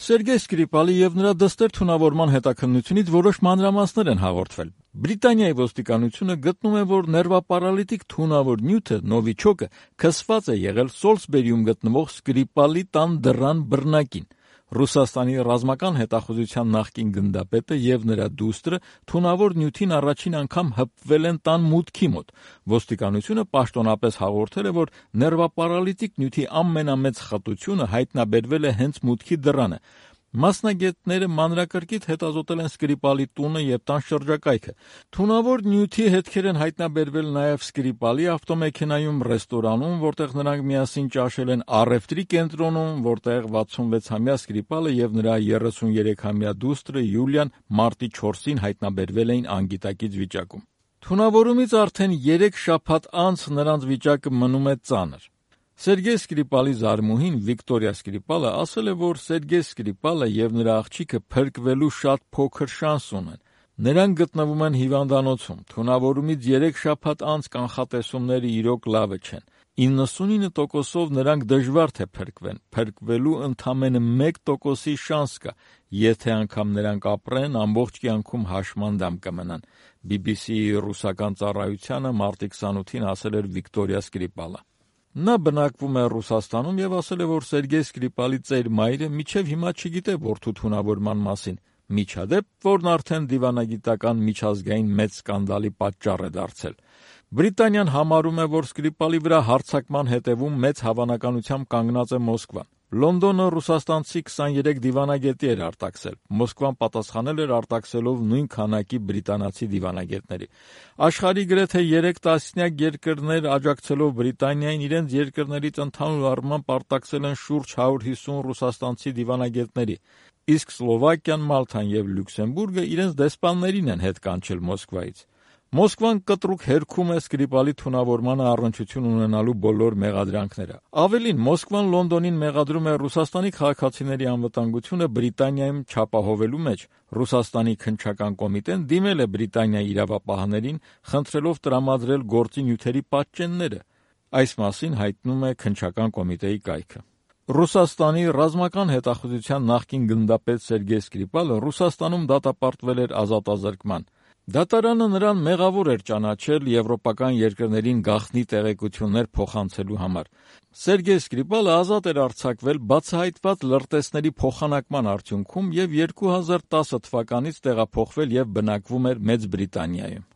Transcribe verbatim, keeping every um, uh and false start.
Սերգեյ Սկրիպալի եւ նրա դստեր թունավորման հետաքննությունից որոշ մանրամասներ են հաղորդվել։ Բրիտանիայի ոստիկանությունը գտնում է, որ ներվապարալիտիկ թունավոր նյութը նովիչոկը քսված է եղել Սոլսբերիում գտնվող Սկրիպալի տան դռան բռնակին։ Ռուսաստանի ռազմական հետախուզության նախկին գնդապետը եւ նրա դուստրը թունավոր նյութին առաջին անգամ հպվել են տան մուտքի մոտ։ Ոստիկանությունը պաշտոնապես հաղորդել է, որ ներվապարալիտիկ նյութի ամենամեծ խտությունը հայտնաբերվել է հենց մուտքի դռանը։ Մասնագետները մանրակրկիտ հետազոտել են Սկրիպալի տունը եւ տան շրջակայքը։ Թունավոր նյութի հետքեր են հայտնաբերվել նաեւ Սկրիպալի ավտոմեքենայում, ռեստորանում, որտեղ նրանք միասին ճաշել են, առևտրի կենտրոնում, որտեղ վաթսունվեցամյա Սկրիպալը եւ նրա երեսուներեքամյա դուստրը Յուլիան մարտի չորսին հայտնաբերվել էին անգիտակից վիճակում։ Թունավորումից արդեն երեք շաբաթ անց նրանց վիճակը մնում է ծանր։ Սերգեյ Սկրիպալի զարմուհին Վիկտորիա Սկրիպալը ասել է, որ Սերգեյ Սկրիպալը եւ նրա աղջիկը փրկվելու շատ փոքր շանս ունեն։ Նրանք գտնվում են հիվանդանոցում։ Թունավորումից երեք շաբաթ անց կանխատեսումները իրոք լավը չեն։ իննսունինը տոկոսով նրանք դժվար թե փրկվեն։ Փրկվելու ընդամենը մեկ տոկոսի շանս կա, եթե անգամ նրանք ապրեն, ամբողջ կյանքում հաշմանդամ կմնան։ բի բի սի-ի ռուսական ծառայությանը մարտի քսանութին ասել էր Վիկտորիա Սկրիպալը։ Նա բնակվում է Ռուսաստանում եւ ասել է, որ Սերգեյ Սկրիպալի ծեր մայրը մինչեւ հիմա չգիտե որդու թունավորման մասին, միջադեպ, որն արդեն դիվանագիտական միջազգային մեծ սկանդալի պատճառ է դարձել։ Բրիտանիան համարում է, որ Սկրիպալի վրա հարձակման հետևում մեծ հավանականությամբ կանգնած է Մոսկվան։ Լոնդոնը ռուսաստանցի քսաներեք դիվանագետի էր արտաքսել։ Մոսկվան պատասխանել էր արտաքսելով նույն քանակի բրիտանացի դիվանագետների։ Աշխարհի գրեթե երեք տասնյակ երկրներ աջակցելով Բրիտանիային իրենց երկրներից ընդհանուր առմամբ արտաքսել են շուրջ հարյուր հիսուն ռուսաստանցի դիվանագետների, իսկ Սլովակիան, Մալթան եւ Լյուքսեմբուրգը իրենց դեսպաններին են հետ կանչել Մոսկվայից։ Մոսկվան կտրուկ հերքում է Սկրիպալի թունավորմանը առնչություն ունենալու բոլոր մեղադրանքները։ Ավելին, Մոսկվան Լոնդոնին մեղադրում է Ռուսաստանի քաղաքացիների անվտանգությունը Բրիտանիայում չապահովելու մեջ։ Ռուսաստանի քննչական կոմիտեն դիմել է Բրիտանիայի իրավապահներին, խնդրելով տրամադրել գործի նյութերի պատճենները։ Այս մասին հայտնում է քննչական կոմիտեի կայքը։ Ռուսաստանի ռազմական հետախուզության նախկին գնդապետ Սերգեյ Սկրիպալը Ռուսաստանում դատապարտվել էր ազատազրկման։ Դատարանը նրան մեղավոր էր ճանաչել եվրոպական երկրներին գաղտնի տեղեկություններ փոխանցելու համար։ Սերգեյ Սկրիպալը ազատ էր արձակվել բացահայտված լրտեսների փոխանակման արդյունքում եւ երկու հազար տասը թվականից տեղափոխվել եւ բնակվում էր Մեծ Բրիտանիայում։